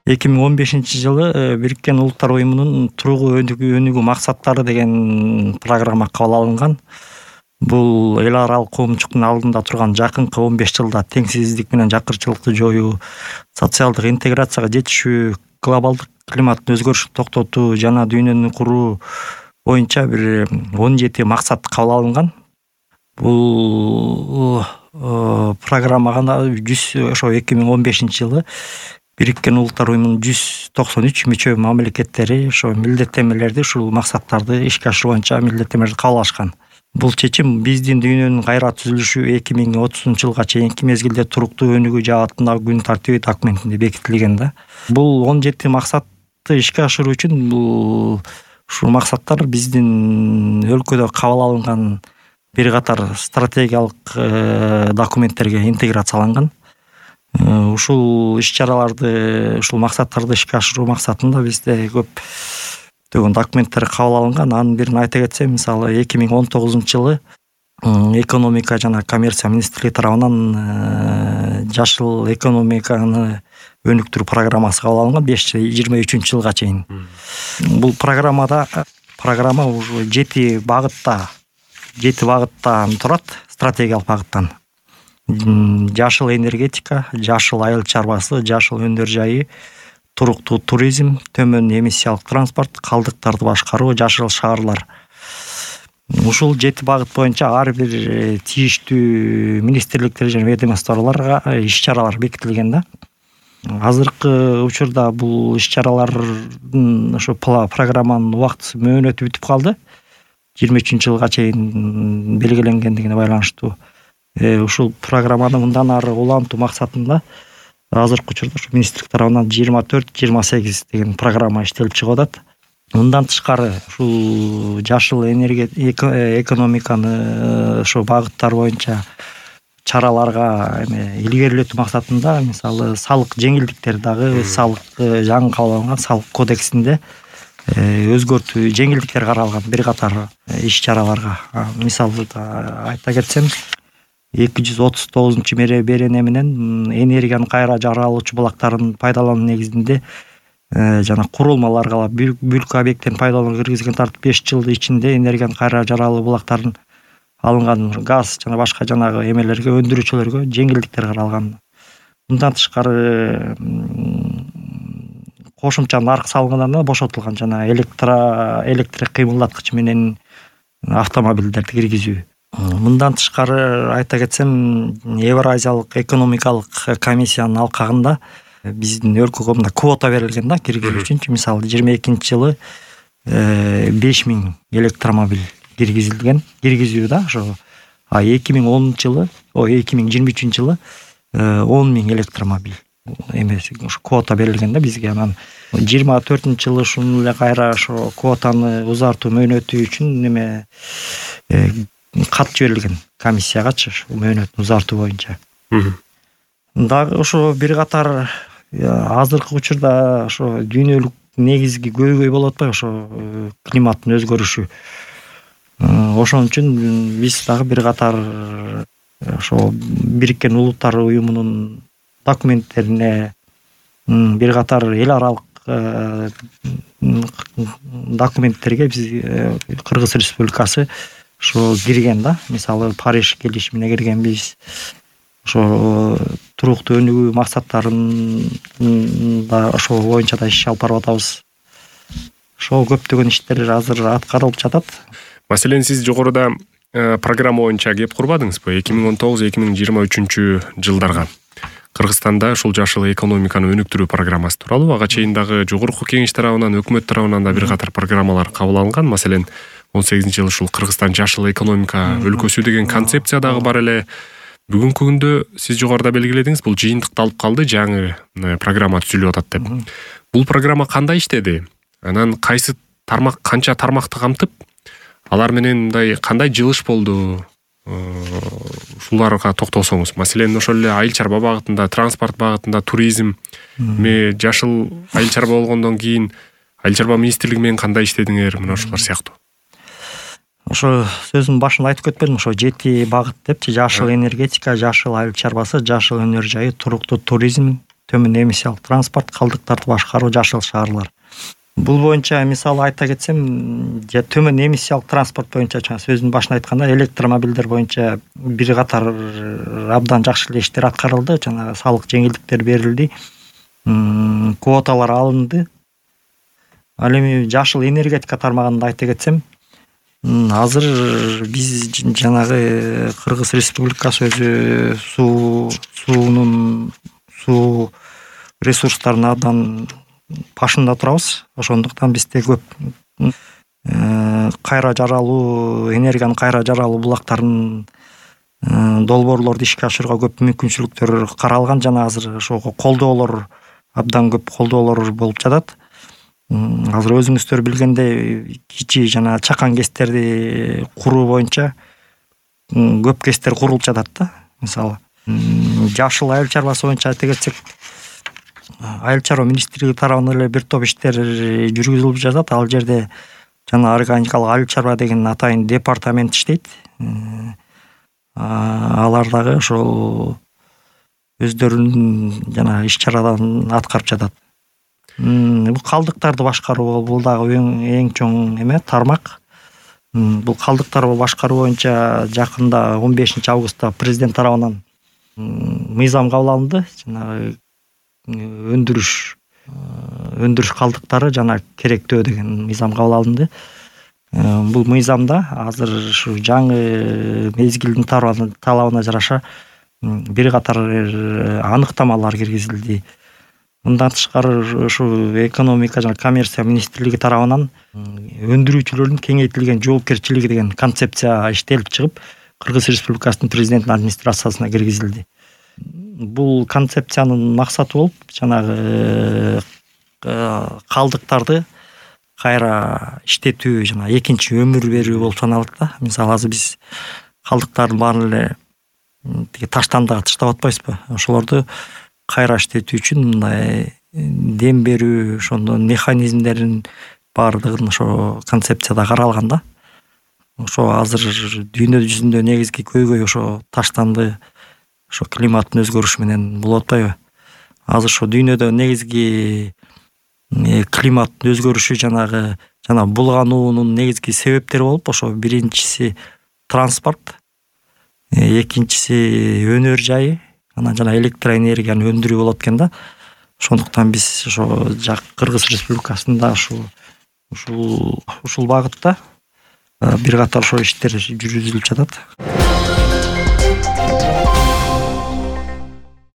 2015-жылы Бириккен Улуттар Уюмунун тургуу өнүгүү максаттары деген программа кабыл алынган. Бул эл аралык коомчулуктун алдында турган жакынкы 15 жылда теңсиздик менен жакырчылыкты жоюу, социалдык интеграцияга жетишүү, глобалдык климаттын өзгөрүшүн токтотуу жана дүйнөнү куруу боюнча бир 17 максат кабыл алынган. Бул программага ошо 2015-жылы Бириккен Улуттар Уюмунун 193 мүчө мамлекеттери ошо милдеттенмелерди, ушул максаттарды ишке ашыруу боюнча милдеттенмелерди кабыл алышкан. Бул чечим биздин дүйнөнүн кайра түзүлүшү 2030-жылга чейинки мезгилде туруктуу өнүгүү жаатындагы күн тартиби документинде бекитилген да. Бул 17 максатты ишке ашыруу үчүн ушул максаттар биздин өлкөдө кабыл алынган бир катар стратегиялык документтерге интеграцияланган. Ушул иш-чараларды, ушул максаттарды ишке ашыруу максатында бизде көптөгөн документтер кабыл алынган. Анын бирин айта кетсем, мисалы 2019-жылы экономика жана коммерция министрлиги тарабынан жашыл экономиканы өнүктүрүү программасы кабыл алынган 2023-жылга чейин. Бул программа уже 7 багыттан турат, стратегиялык багыттан. Жашыл энергетика, жашыл айыл чарбасы, жашыл өнөр жайы, туруктуу туризм, төмөн эмиссиялык транспорт, калдыктарды башкаруу, жашыл шаарлар. Ушул 7 багыт боюнча ар бир тийиштүү министрликтер жана ведомстволорго иш-чаралар бекитилген да. Азыркы учурда бул иш-чаралардын ошо программанын убактысы мөөнөтү бүтүп калды. 23-жылга чейин белгиленгендигине байланыштуу. Ушул программаны мындан ары улантуу максатында азыркы учурда ушу министрлик тарабынан 24-28 деген программа иштелип чыгып атат. Мындан тышкары ушул жашыл экономиканы ошо багыттар боюнча чараларга илгерилетүү максатында, мисалы, салык жеңилдиктер дагы салык жаңы кабыл алынган салык кодексинде өзгөртүү жеңилдиктер каралган бир катар иш-чараларга. Мисалы айта кетсем, 239 берене менен энергияны кайра жаралуучу булактарын пайдалануу негизинде жана курулмаларга бүлк объекттерин пайдаланууга киргизген тартып 5 жыл ичинде энергияны кайра жаралуу булактарын алынган газ жана башка жанагы эмелерге, өндүрүүчүлөргө жеңилдиктер каралган. Мындан тышкары кошумча нарк салыгынан бошотулган жана электр кыймылдаткыч менен автомобилдерди киргизүү. Мындан тышкары айта кетсем, Евразиялык экономикалык комиссиянын алкагында биздин өлкөгө мындай квота берилген да киргизүү үчүн. Мисалы 22-жылы 5000 электромобиль киргизүү да ошо. 2023-жылы 10.000 электромобиль ошо квота берилген да бизге. Анан 24-жылы ушуну эле кайра ошо квотаны узартуу мөөнөтү үчүн кат жиберилген комиссиягачы мөөнөтүн узартуу боюнча. Дагы ошо бир катар азыркы учурда ошо дүйнөлүк негизги көйгөй болуп атпайбы, ошо климаттын өзгөрүшү. Ошон үчүн биз дагы бир катар ошо Бириккен Улуттар Уюмунун документтерине бир катар эл аралык документтерге биз Кыргыз Республикасы ошо кирген да. Мисалы, Париж келишимине киргенбиз. Ошо туруктуу өнүгүү максаттарын да ошол боюнча да иш алып барып атабыз. Ошо көптөгөн иштер азыр аткарылып жатат. Маселен, сиз жогоруда программа боюнча кеп курбадыңызбы? 2019-2023 жылдарга Кыргызстанда ушул жашыл экономиканы өнүктүрүү программасы тууралуу ага чейин дагы жогорку кеңеш тарабынан, өкмөт тарабынан да бир катар программалар кабыл алынган. Маселен, 18-жылы ушул Кыргызстан жашыл экономика өлкөсү деген концепция дагы бар эле. Бүгүнкү күндө сиз жогоруда белгиледиңиз, бул жыйынтыкты алып калды, жаңы программа түзүлүп атат деп. Бул программа кандай иштеди? Анан кайсы тармак, канча тармакты камтып, алар менен мындай кандай жылыш болду? Ушуларга токтолсоңуз. Маселен, ошол эле айыл чарба багытында, транспорт багытында, туризм, жашыл айыл чарба болгондон кийин айыл чарба министрлиги менен кандай иштедиңер, мына ушулар сыяктуу. Ошо сөзүмдүн башында айтып кетпедимби, ошо 7 багыт депчи: жашыл энергетика, жашыл айыл чарбасы, жашыл өнөр жайы, туруктуу туризм, төмөн эмиссиялык транспорт, калдыктарды башкаруу, жашыл шаарлар. Бул боюнча мисалы айта кетсем, төмөн эмиссиялык транспорт боюнча сөздүн башында айтканда электромобилдер боюнча бир катар абдан жакшы эле иштер аткарылды. Жанагы салык жеңилдиктер берилди, квоталар алынды. Ал эми жашыл энергетика тармагында айта кетсем, азыр биз жанагы Кыргыз Республикасы өзү суу ресурстарына абдан башында турабыз. Ошондуктан бизде көп кайра жаралуу, энергиянын кайра жаралуу булактарын, долбоорлорду ишке ашырууга көп мүмкүнчүлүктөр каралган жана азыр ошого колдоолор, абдан көп колдоолор болуп жатат. Азыр өзүңүздөр билгендей, кичи жана чакан кестерди куруу боюнча көп кестер курулуп жатат да. Мисалы, жашыл айыл чарбасы боюнча айта кетсек, Айыл чарба министрлиги тарабынан эле бир топ иштер жүргүзүлүп жатат. Ал жерде жана органикалык айыл чарба деген атайын департамент иштейт. Алар дагы ошол өздөрүнүн жана иш чараларын аткарып жатат. Бул калдыктарды башкаруу, бул дагы эң чоң эме тармак. Бул калдыктарды башкаруу боюнча жакында 15 августта президент тарабынан мыйзам кабыл алынды. Жана өндүрүш калдыктары жана керектөө деген мыйзам кабыл алынды. Бул мыйзамда азыр ушу жаңы мезгилдин талабына жараша бир катар аныктамалар киргизилди. Мындан тышкары ушу экономика жана коммерция министрлиги тарабынан өндүрүүчүлөрдүн кеңейтилген жоопкерчилиги деген концепция иштелип чыгып, Кыргыз Республикасынын президентинин администрациясына киргизилди. Бул концепциянын максаты болуп, жанагы калдыктарды кайра иштетүү жана экинчи өмүр берүү болуп саналат да. Мисалы, азыр биз калдыктардын баарын эле таштандыга таштап атпайбызбы? Ошолорду кайра иштетүү үчүн мындай дем берүү, ошондон механизмдерин баардыгын ошо концепцияда каралган да. Ошо азыр дүйнө жүзүндө негизги көйгөй ошо таштанды, ошо климаттын өзгөрүшү менен болуп атпайбы? Азыр ошо дүйнөдө негизги климаттын өзгөрүшү жана булгануунун негизги себептери болуп, ошо биринчиси транспорт, экинчиси өнөр жайы, жана электроэнергияны өндүрүү болот экен да. Ошондуктан биз ошо Кыргыз Республикасында ушул багытта бир катар ошо иштер жүргүзүлүп жатат.